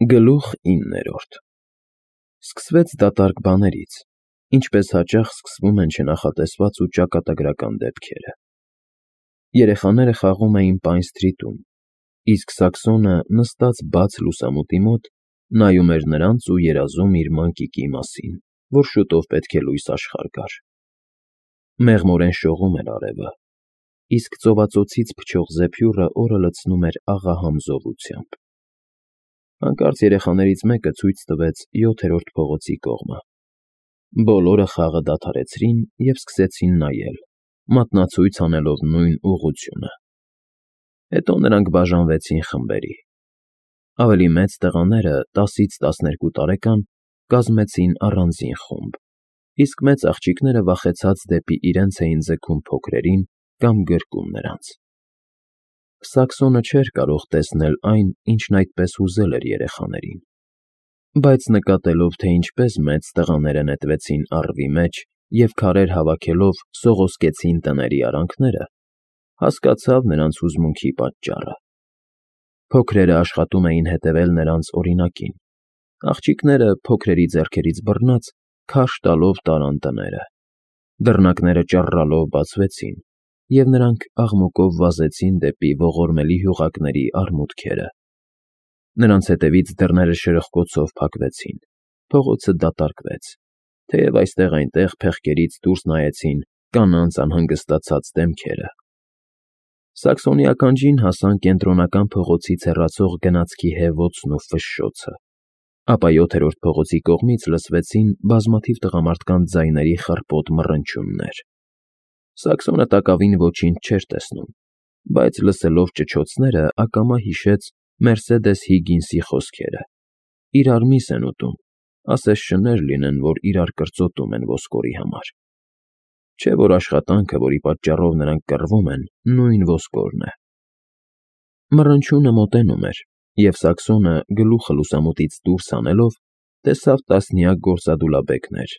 Գլուխ 9. Սկսվեց դատարկ բաներից, ինչպես հաճախ սկսվում են չնախատեսված ու ճակատագրական դեպքերը. երեխաները խաղում էին պայնսթրիթում, իսկ Սաքսոնը նստած բաց լուսամուտի մոտ նայում էր նրանց ու երազում իր մանկիկի մասին, որ շուտով պետք է լույս աշխարհ գար։ Մեղմորեն շողում էր արևը, իսկ ծովածոցից փչող զեփյուռը օրը լցնում էր աղահամ զովությամբ։ Հանկարծ երեխաներից մեկը ցույց տվեց 7-րդ փողոցի կողմը։ Բոլորը խաղը դադարեցրին և սկսեցին նայել, մատնացույց անելով նույն ուղղությունը։ Հետո նրանք բաժանվեցին խմբերի։ Ավելի մեծ տղաները, 10-ից 12 տարեկան, կազմեցին առանձին խումբ, իսկ մեծ աղջիկները վախեցած դեպի իրենց էին ձգում փոքրերին կամ գրկում նրանց։ Սաքսոնը չէր կարող տեսնել այն, ինչն այդպես հուզել էր երեխաներին, բայց նկատելով, թե ինչպես մեծ տղաները նետվեցին առվի մեջ և քարեր հավաքելով սողոսկեցին տների արանքները, հասկացավ նրանց հուզմունքի պատճառը։ Փոքրերը աշխատում էին հետևել նրանց օրինակին, աղջիկները, փոքրերի ձեռքերից բռնած, քարշ տալով տարան տները, դռնակները ճռռալով բացվեցին, և նրանք աղմուկով վազեցին դեպի ողորմելի հյուղակների արմուտքերը։ Նրանց հետևից դռները շրխկոցով փակվեցին, փողոցը դատարկվեց, թեև այստեղ-այնտեղ փեղկերից դուրս նայեցին կանանց անհանգստացած դեմքերը։ Սաքսոնի ականջին հասան կենտրոնական փողոցից հեռացող գնացքի հևոցն ու ֆշշոցը, ապա 7-րդ փողոցի կողմից լսվեցին բազմաթիվ տղամարդկանց ձայների խռպոտ մռնչյուններ։ Սաքսոնը տակավին ոչինչ չէր տեսնում, բայց լսելով ճչոցները ակամա հիշեց Մերսեդես Հիգինսի խոսքերը. «Իրար միս են ուտում, ասես շներ լինեն, որ իրար կրծոտում են ոսկորի համար»։ Չէ՞ որ աշխատանքը, որի պատճառով նրանք կռվում են, նույն ոսկորն է։ Մռնչյունը մոտենում էր, և Սաքսոնը, գլուխը լուսամուտից դուրս հանելով, տեսավ տասնյակ գործադուլաբեկներ,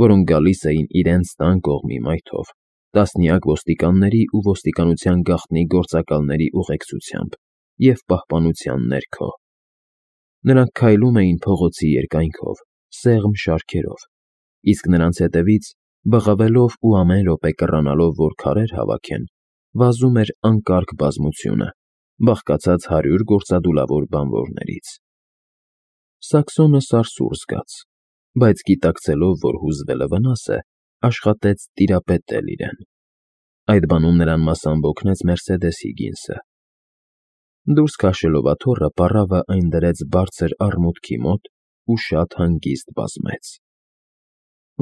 որոնք գալիս էին իրենց տան կողմի մայթով, տասնյակ ոստիկանների ու ոստիկանության գաղտնի գործակալների ուղեկցությամբ և պահպանության ներքո։ Նրանք քայլում էին փողոցի երկայնքով, սեղմ շարքերով, իսկ նրանց հետևից, բղավելով ու ամեն րոպե կռանալով, որ քարեր հավաքեն, վազում էր անկարգ բազմությունը, բաղկացած 100 գործադուլավոր բանվորներից։ Սաքսոնը սարսուռ զգաց, բայց գիտակցելով, որ հուզվելը վնաս է, աշխատեց տիրապետել իրեն։ Այդ բանում նրան մասամբ օգնեց Մերսեդես Հիգինսը։ Դուրս քաշելով աթոռը, պառավը այն դրեց բարձր առմուտքի մոտ ու շատ հանգիստ բազմեց։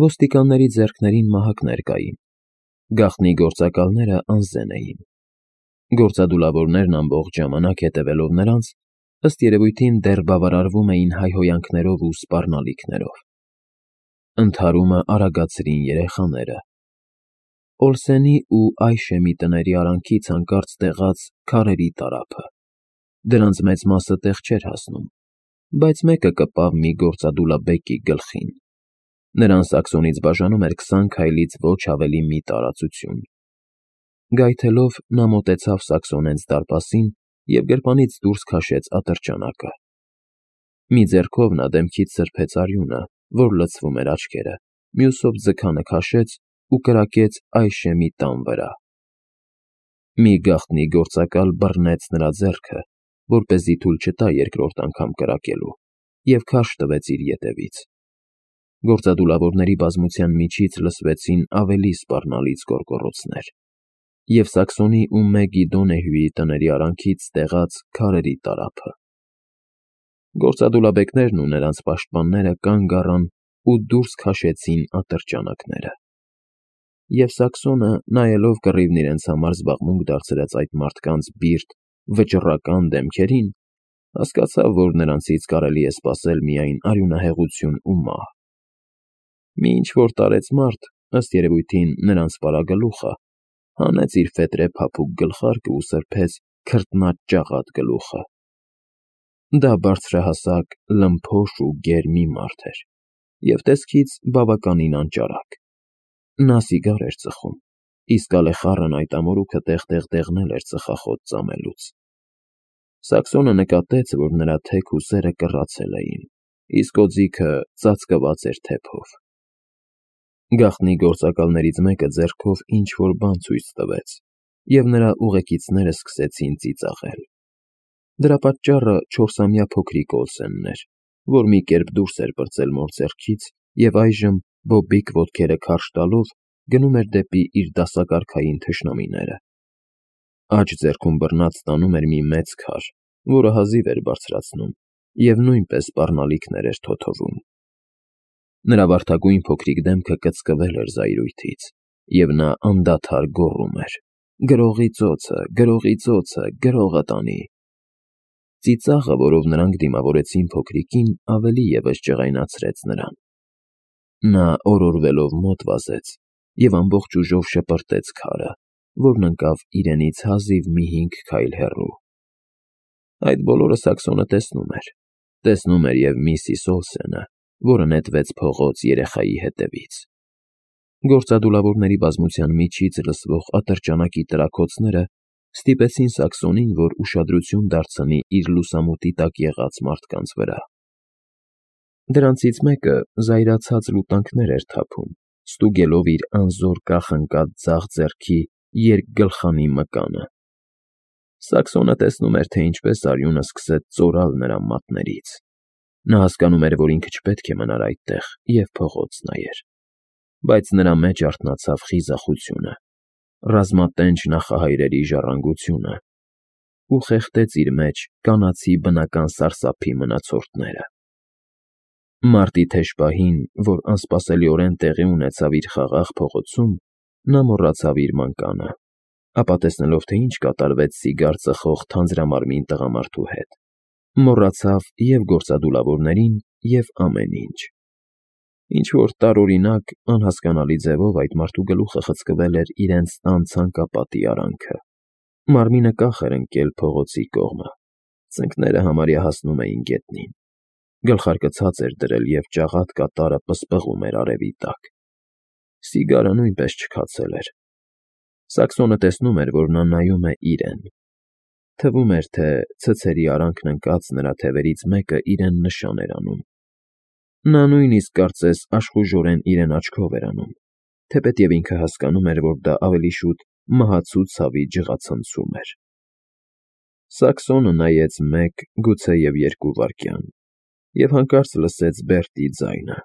Ոստիկանների ձեռքներին մահակներ կային, գաղտնի գործակալները անզեն էին։ Գործադուլավորներն ամբողջ ժամանակ հետևելով նրանց, ըստ երևույթին դեռ բավարարվում էին հայհոյանքներով ու սպառնալիքներով։ Ընդհարումը արագացրին երեխաները։ Օլսենի ու Այշեմի տների արանքից հանկարծ տեղաց քարերի տարափը։ Դրանց մեծ մասը տեղ չէր հասնում, բայց մեկը կպավ մի գործադուլաբեկի գլխին։ Նրան Սաքսոնից բաժանում էր 20 քայլից ոչ ավելի մի տարածություն։ Գայթելով նա մոտեցավ Սաքսոնենց դարպասին և գրպանից դուրս քաշեց ատրճանակը։ Մի ձեռքով նա դեմքից սրբեց արյունը, որ լցվում էր աչքերը, մյուսով ձգանը քաշեց ու կրակեց Այշեմի տան վրա։ Մի գաղտնի գործակալ բռնեց նրա ձեռքը, որպեսզի թույլ չտա երկրորդ անգամ կրակելու, և քարշ տվեց իր ետևից։ Գործադուլավորների բազմության միջից լսվեցին ավելի սպառնալից գոռգոռոցներ, և Սաքսոնի ու Մեգի Դոնեհյուի տների արանքից տեղաց քարերի տարափը։ Գործադուլաբեկներն ու նրանց պաշտպանները կանգ առան ու դուրս քաշեցին ատրճանակները։ Եվ Սաքսոնը, նայելով կռիվն իրենց համար զբաղմունք դարձրած այդ մարդկանց բիրտ, վճռական դեմքերին, հասկացավ, որ նրանցից կարելի է սպասել միայն արյունահեղություն ու մահ։ Մի ինչ֊որ տարեց մարդ, ըստ երևույթին նրանց պարագլուխը, հանեց իր ֆետրե փափուկ գլխարկը ու սրբեց քրտնած ճաղատ գլուխը։ Դա բարձրահասակ, լմփոշ ու գեր մի մարդ էր և տեսքից բավականին անճարակ։ Նա սիգար էր ծխում, իսկ ալեխառն այդ ամորուքը տեղ֊տեղ դեղնել էր ծխախոտ ծամելուց։ Սաքսոնը նկատեց, որ նրա թեք ուսերը կռացել էին, իսկ օձիքը ծածկված էր թեփով։ Գաղտնի գործակալներից մեկը ձեռքով ինչ-որ բան ցույց տվեց, և նրա ուղեկիցները սկսեցին ծիծաղել։ Դրա պատճառը 4-ամյա փոքրիկ Օլսենն էր, որ մի կերպ դուրս էր պրծել մոր ձեռքից և այժմ, բոբիկ ոտքերը քարշ տալով, գնում էր դեպի իր դասակարգային թշնամիները։ Աջ ձեռքում բռնած տանում էր մի մեծ քար, որը հազիվ էր բարձրացնում, և նույնպես սպառնալիքներ էր թոթովում։ Նրա վարդագույն փոքրիկ դեմքը կծկվել էր զայրույթից, և նա անդադար գոռում էր. «Գրողի ծոցը, գրողի ծոցը, գրողը տանի»։ Ծիծաղը, որով նրանք դիմավորեցին փոքրիկին, ավելի ևս ջղայնացրեց նրան։ Նա օրորվելով մոտ վազեց և ամբողջ ուժով շպրտեց քարը, որն ընկավ իրենից հազիվ մի 5 քայլ հեռու։ Այդ բոլորը Սաքսոնը տեսնում էր և միսիս Օլսենը, որը նետվեց փողոց երեխայի հետևից։ Գործադուլավորների բազմության միջից լսվող ատրճանակի տրաքոցները ստիպեցին Սաքսոնին, որ ուշադրություն դարձնի իր լուսամուտի տակ եղած մարդկանց վրա։ Դրանցից մեկը զայրացած լուտանքներ էր թափում, ստուգելով իր անզոր կախնկած ձախ ձեռքի երկգլխանի մկանը։ Սաքսոնը տեսնում էր, թե ինչպես արյունը սկսեց ծորալ նրա մատներից։ Նա հասկանում էր, որ ինքը չպետք է մնար այդտեղ և փողոց նայեր, բայց նրա մեջ արթնացավ խիզախությունը, ռազմատենչ նախահայրերի ժառանգությունը ու խեղդեց իր մեջ կանացի բնական սարսափի մնացորդները։ Մարտի թեժ պահին, որ անսպասելիորեն տեղի ունեցավ իր խաղաղ փողոցում, նա մոռացավ իր մանկանը, ապա տեսնելով, թե ինչ կատարվեց սիգար ծխող թանձրամարմին տղամարդու հետ, մոռացավ և գործադուլավորներին, և ամեն ինչ։ Ինչ-որ տարօրինակ, անհասկանալի ձևով այդ մարդու գլուխը խցկվել էր իրենց տան ցանկապատի արանքը։ Մարմինը կախ էր ընկել փողոցի կողմը, ծնկները համարյա հասնում էին գետնին, գլխարկը ցած էր դրել և ճաղատ կատարը պսպղում էր արևի տակ։ Սիգարը նույնպես չքացել էր։ Սաքսոնը տեսնում էր, որ նա նայում է իրեն։ Թվում էր, թե ցցերի արանքն ընկած նրա թևերից մեկը իրեն նշան էր անում։ Նա նույնիսկ կարծես աշխուժորեն իրեն աչքով էր անում, թեպետև ինքը հասկանում էր, որ դա ավելի շուտ մահացու ցավի ջղացնցում էր։ Սաքսոնը նայեց 1, գուցեև 2 վայրկյան և հանկարծ լսեց Բերտի ձայնը։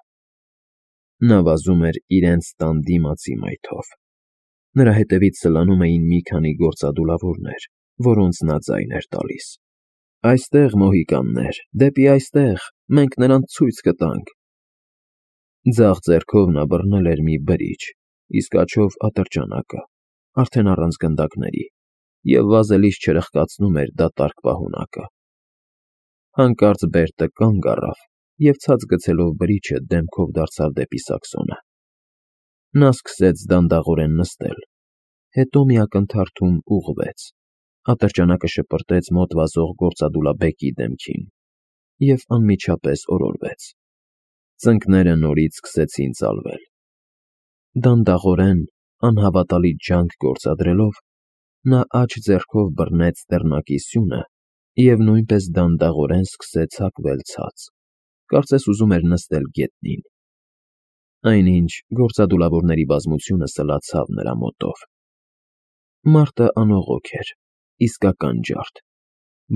Նա վազում էր իրենց տան դիմացի մայթով։ Նրա հետևից սլանում էին մի քանի գործադուլավորներ, որոնց նա ձայն էր տալիս։ «Այստեղ, մոհիկաններ, դեպի այստեղ, մենք նրանց ցույց կտանք»։ Ձախ ձեռքով նա բռնել էր մի բրիչ, իսկ աջով ատրճանակը, արդեն առանց գնդակների, և վազելիս չրխկացնում էր դատարկ պահունակը։ Հանկարծ Բերտը կանգ առավ և ցած գցելով բրիչը դեմքով դարձավ դեպի Սաքսոնը։ Նա սկսեց դանդաղորեն նստել, հետո մի ակնթարթում ուղղվեց, ատրճանակը շպրտեց մոտ վազող գործադուլաբեկի դեմքին և անմիջապես օրորվեց։ Ծնկները նորից սկսեցին ծալվել։ Դանդաղորեն, անհավատալի ջանք գործադրելով, նա աջ ձեռքով բռնեց դռնակի սյունը և նույնպես դանդաղորեն սկսեց հակվել ցած, կարծես ուզում էր նստել գետնին։ Այնինչ գործադուլավորների բազմությունը սլացավ նրա մոտով։ Մարտը անողոք էր, իսկական ջարդ։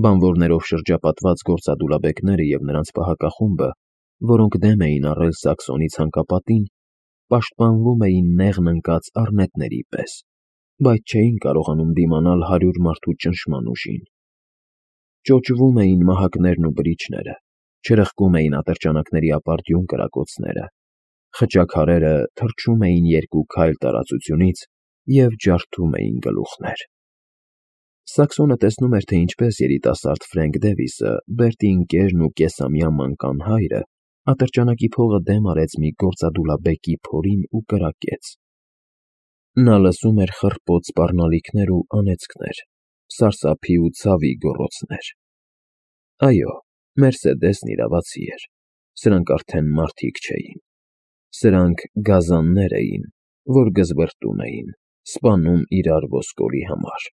Բանվորներով շրջապատված գործադուլաբեկները և նրանց պահակախումբը, որոնք դեմ էին առել Սաքսոնի ցանկապատին, պաշտպանվում էին նեղն ընկած առնետների պես, բայց չէին կարողանում դիմանալ 100 մարդու ճնշման ուժին։ Ճոճվում էին մահակներն ու բրիչները, չրխկում էին ատրճանակների ապարդյուն կրակոցները, խճաքարերը թռչում էին 2 քայլ տարածությունից և ջարդում էին գլուխներ։ Սաքսոնը տեսնում էր, թե ինչպես երիտասարդ Ֆրենք Դևիսը, Բերտի ընկերն ու կեսամյա մանկան հայրը, ատրճանակի փողը դեմ արեց մի գործադուլաբեկի փորին ու կրակեց։ Նա լսում էր խռպոտ սպառնալիքներ ու անեծքներ, սարսափի ու ցավի գոռոցներ։ Այո, Մերսեդեսն իրավացի էր։ Սրանք արդեն մարդիկ չէին։ Սրանք գազաններ էին, որ գզվռտում էին, սպանում իրար ոսկորի համար։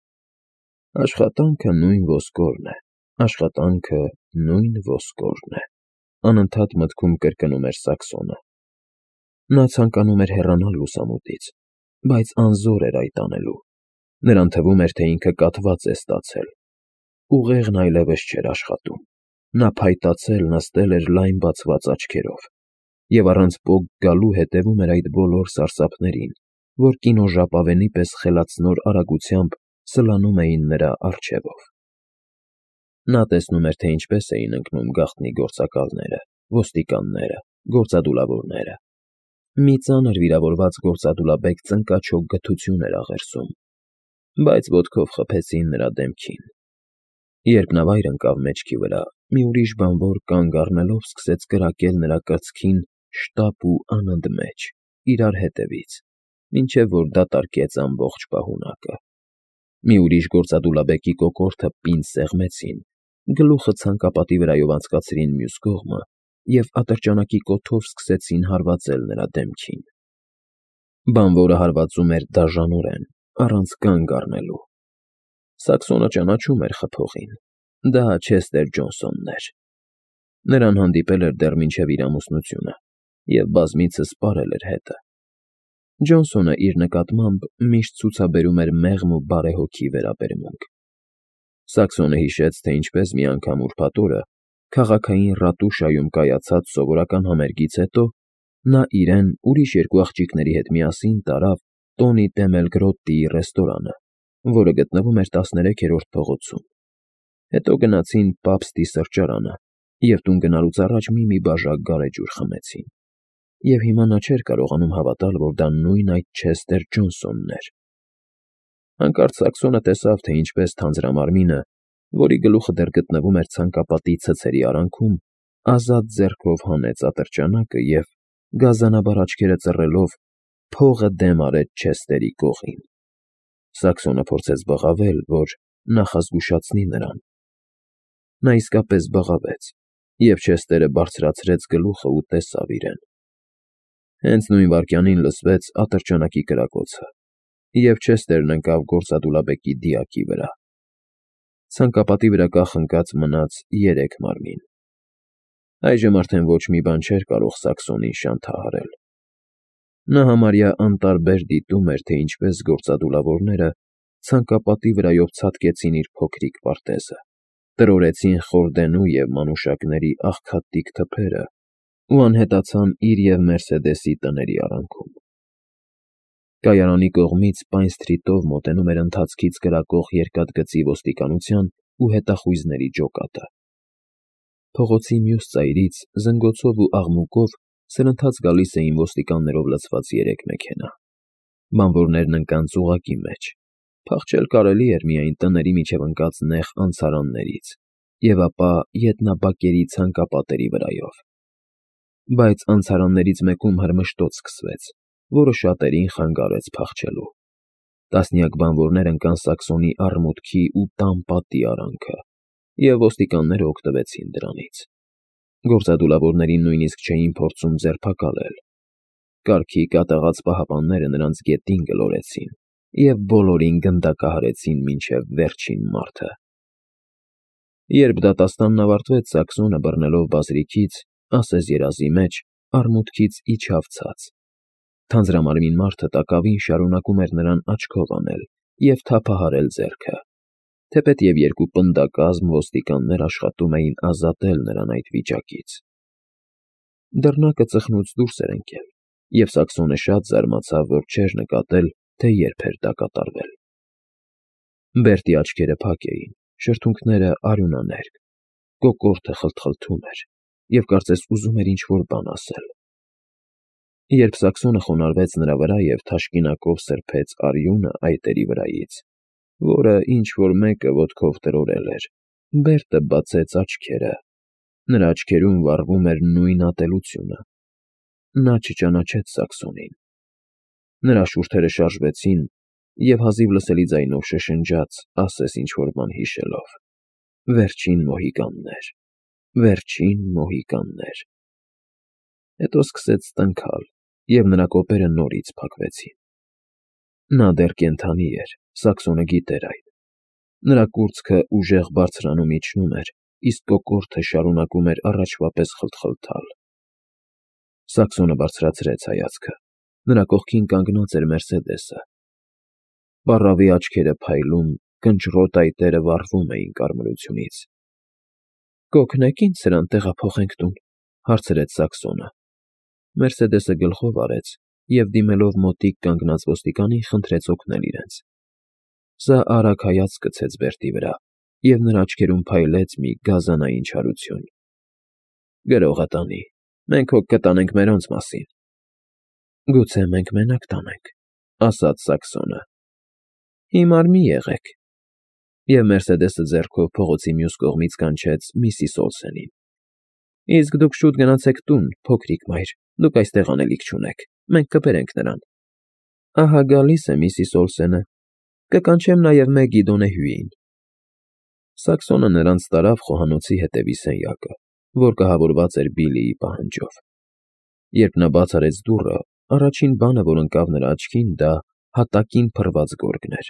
Աշխատանքը նույն ոսկորն է, Աշխատանքը նույն ոսկորն է, անընդհատ մտքում կրկնում էր Սաքսոնը։ Նա ցանկանում էր հեռանալ լուսամուտից, բայց անզոր էր այդ անելու։ Նրան թվում էր, թե ինքը կաթված է ստացել։ Ուղեղն այլևս չէր աշխատում։ Նա փայտացել նստել էր լայն բացված աչքերով և առանց պոկ գալու հետևում էր այդ բոլոր սարսափներին, որ կինոժապավենի պես խելացնոր արագությամբ սլանում էին նրա առջևով։ Նա տեսնում էր, թե ինչպես էին ընկնում գաղտնի գործակալները, ոստիկանները, գործադուլավորները։ Մի ծանր վիրավորված գործադուլաբեկ ծնկաչոք գթություն էր աղերսում, բայց ոտքով խփեցին նրա դեմքին։ Երբ նա վայր ընկավ մեջքի վրա, մի ուրիշ բանվոր կանգ առնելով սկսեց կրակել նրա կրծքին շտապ ու անընդմեջ, իրար հետևից, մինչև որ դատարկեց ամբողջ պահունակը։ Մի ուրիշ գործադուլաբեկի կոկորդը պինդ սեղմեցին, գլուխը ցանկապատի վրայով անցկացրին մյուս կողմը և ատրճանակի կոթով սկսեցին հարվածել նրա դեմքին։ Բանվորը հարվածում էր դաժանորեն, առանց կանգ առնելու։ Սաքսոնը ճանաչում էր խփողին։ Դա Չեսթեր Ջոնսոնն էր։ Նրան հանդիպել էր դեռ մինչև իր ամուսնությունը և բազմիցս պարել էր հետը։ Ջոնսոնը իր նկատմամբ միշտ ցուցաբերում էր մեղմ ու բարեհոգի վերաբերմունք։ Սաքսոնը հիշեց, թե ինչպես մի անգամ ուրբաթ օրը քաղաքային ռատուշայում կայացած սովորական համերգից հետո նա իրեն ուրիշ երկու աղջիկների հետ միասին տարավ Տոնի Տեմելգրոտտիի ռեստորանը, որը գտնվում էր 13-րդ փողոցում։ Հետո գնացին Պաբստի սրճարանը և տուն գնալուց առաջ մի բաժակ գարեջուր խմեցին։ Եվ հիմա նա չէր կարողանում հավատալ, որ դա նույն այդ Չեսթեր Ջոնսոնն էր։ Հանկարծ Սաքսոնը տեսավ, թե ինչպես թանձրամարմինը, որի գլուխը դեռ գտնվում էր ցանկապատի ցցերի արանքում, ազատ ձեռքով հանեց ատրճանակը և, գազանաբար աչքերը ծռելով, փողը դեմ արեց Չեսթերի կողին։ Սաքսոնը փորձեց բղավել, որ նախազգուշացնի նրան։ Նա իսկապես բղավեց, և Չեսթերը բարձրացրեց գլուխը ու տեսավ իրեն։ Հենց նույն վայրկյանին լսվեց ատրճանակի կրակոցը, և Չեսթերն ընկավ գործադուլաբեկի դիակի վրա։ Ցանկապատի վրա կախ ընկած մնաց 3 մարմին։ Այժմ արդեն ոչ մի բան չէր կարող Սաքսոնին շանթահարել։ Նա համարյա անտարբեր դիտում էր, թե ինչպես գործադուլավորները ցանկապատի վրայով ցատկեցին իր փոքրիկ պարտեզը, տրորեցին խորդենու և մանուշակների աղքատիկ թփերը ու անհետացան իր և Մերսեդեսի տների արանքում։ Կայարանի կողմից Պայն Սթրիթով մոտենում էր ընթացքից կրակող երկաթգծի ոստիկանության ու հետախույզների ջոկատը։ Փողոցի մյուս ծայրից զնգոցով ու աղմուկով սրընթաց գալիս էին ոստիկաններով լցված 3 մեքենա։ Բանվորներն ընկան ծուղակի մեջ։ Փախչել կարելի էր միայն տների միջև ընկած նեղ անցարաններից և ապա ետնաբակերի ցանկապատերի վրայով։ Բայց անցարաններից մեկում հրմշտոց սկսվեց, որը շատերին խանգարեց փախչելու։ Տասնյակ բանվորներ ընկան Սաքսոնի արմուտքի ու տան պատի արանքը, և ոստիկանները օգտվեցին դրանից։ Գործադուլավորներին նույնիսկ չէին փորձում ձերբակալել։ Կարգի կատաղած պահապանները նրանց գետին գլորեցին և բոլորին գնդակահարեցին մինչև վերջին մարդը։ Երբ դատաստանն ավարտվեց, Սաքսոնը, բռնելով բազրիքից, ասես երազի մեջ, արմուտքից իջավ ցած։ Թանձրամարմին մարդը տակավին շարունակում էր նրան աչքով անել և թափահարել ձեռքը, թեպետև 2 պնդակազմ ոստիկաններ աշխատում էին ազատել նրան այդ վիճակից։ Դռնակը ծխնուց դուրս էր ընկել, և Սաքսոնը շատ զարմացավ, որ չէր նկատել, թե երբ էր դա կատարվել։ Բերտի աչքերը փակ էին, շրթունքները արյունաներկ, կոկորդը խլթխլթում էր և կարծես ուզում էր ինչ֊որ բան ասել։ Երբ Սաքսոնը խոնարհվեց նրա վրա և թաշկինակով սրբեց արյունը այտերի վրայից, որը ինչ֊որ մեկը ոտքով տրորել էր, Բերտը բացեց աչքերը։ Նրա աչքերում վառվում էր նույն ատելությունը։ Նա չճանաչեց Սաքսոնին։ Նրա շուրթերը շարժվեցին, և հազիվ լսելի ձայնով շշնջաց, ասես ինչ֊որ բան հիշելով. «Վերջին մոհիկաններ, վերջին մոհիկաններ»։ Հետո սկսեց տնքալ, և նրա կոպերը նորից փակվեցին։ Նա դեռ կենդանի էր, Սաքսոնը գիտեր այդ։ Նրա կուրծքը ուժեղ բարձրանում իջնում էր, իսկ կոկորդը շարունակում էր առաջվա պես խլթխլթալ։ Սաքսոնը բարձրացրեց հայացքը։ Նրա կողքին կանգնած էր Մերսեդեսը։ Պառավի աչքերը փայլում, կնճռոտ այտերը վառվում էին կարմրությունից։ «Կօգնեք ինձ սրան տեղափոխենք տուն», հարցրեց Սաքսոնը։ Մերսեդեսը գլխով արեց և, դիմելով մոտիկ կանգնած ոստիկանին, խնդրեց օգնել իրենց։ Սա արագ հայացք գցեց Բերտի վրա, և նրա աչքերում փայլեց մի գազանային չարություն։ «Գրողը տանի, մենք հոգ կտանենք մերոնց մասին»։ «Գուցե մենք մենակ տանենք», ասաց Սաքսոնը։ «Հիմար մի եղեք»։ Եվ Մերսեդեսը ձեռքով փողոցի մյուս կողմից կանչեց միսիս Օլսենին։ «Իսկ դուք շուտ գնացեք տուն, փոքրիկ մայր, դուք այստեղ անելիք չունեք, մենք կբերենք նրան»։ «Ահա գալիս է միսիս Օլսենը, կկանչեմ նաև Մեգգի Դոնեհյուին»։ Սաքսոնը նրանց տարավ խոհանոցի հետևի սենյակը, որ կահավորված էր Բիլիի պահանջով։ Երբ նա բաց արեց դուռը, առաջին բանը, որ ընկավ նրա աչքին, դա հատակին փռված գորգն էր։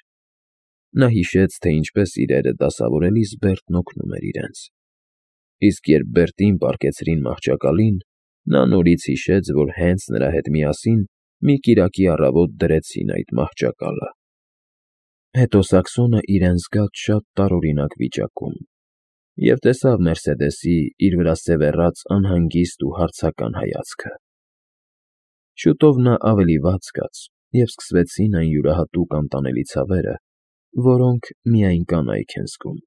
Նա հիշեց, թե ինչպես իրերը դասավորելիս Բերտն օգնում էր իրենց։ Իսկ երբ Բերտին պառկեցրին մահճակալին, նա նորից հիշեց, որ հենց նրա հետ միասին մի կիրակի առավոտ դրեցին այդ մահճակալը։ Հետո Սաքսոնը իրեն զգաց շատ տարօրինակ վիճակում և տեսավ Մերսեդեսի իր վրա սևեռած անհանգիստ ու հարցական հայացքը։ Շուտով նա ավելի վատ զգաց, և սկսվեցին այն յուրահատուկ անտանելի ցավերը, որոնք միայն կանայք են զգում։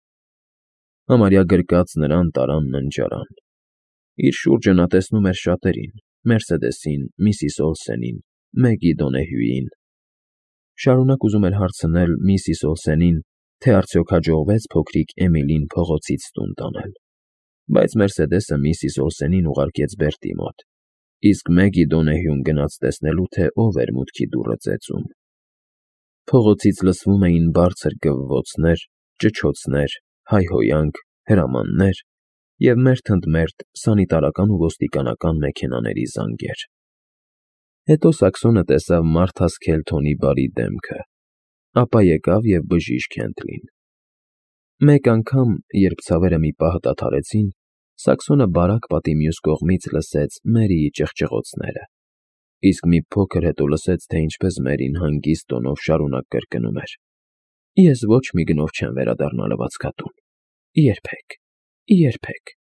Համարյա գրկած նրան տարան ննջարան։ Իր շուրջը նա տեսնում էր շատերին՝ Մերսեդեսին, միսիս Օլսենին, Մեգգի Դոնեհյուին։ Շարունակ ուզում էր հարցնել միսիս Օլսենին, թե արդյոք հաջողվեց փոքրիկ Էմիլին փողոցից տուն տանել։ Բայց Մերսեդեսը միսիս Օլսենին ուղարկեց Բերտի մոտ, իսկ Մեգգի Դոնեհյուն գնաց տեսնելու, թե ով էր մուտքի դուռը ծեծում։ Փողոցից լսվում էին բարձր գվվոցներ, ճչոցներ, հայհոյանք, հրամաններ և մերթընդմերթ սանիտարական ու ոստիկանական մեքենաների զանգեր։ Հետո Սաքսոնը տեսավ Մարթա Սքելթոնի բարի դեմքը, ապա եկավ և բժիշկ Հենթլին։ Մեկ անգամ, երբ ցավերը մի պահ դադարեցին, Սաքսոնը բարակ պատի մյուս կողմից լսեց Մերիի ճղճղոցները, իսկ մի փոքր հետո լսեց, թե ինչպես Մերին հանգիստ տոնով շարունակ կրկնում էր. «Ես ոչ մի գնով չեմ վերադառնա լվացքատուն։ Երբեք, երբեք»։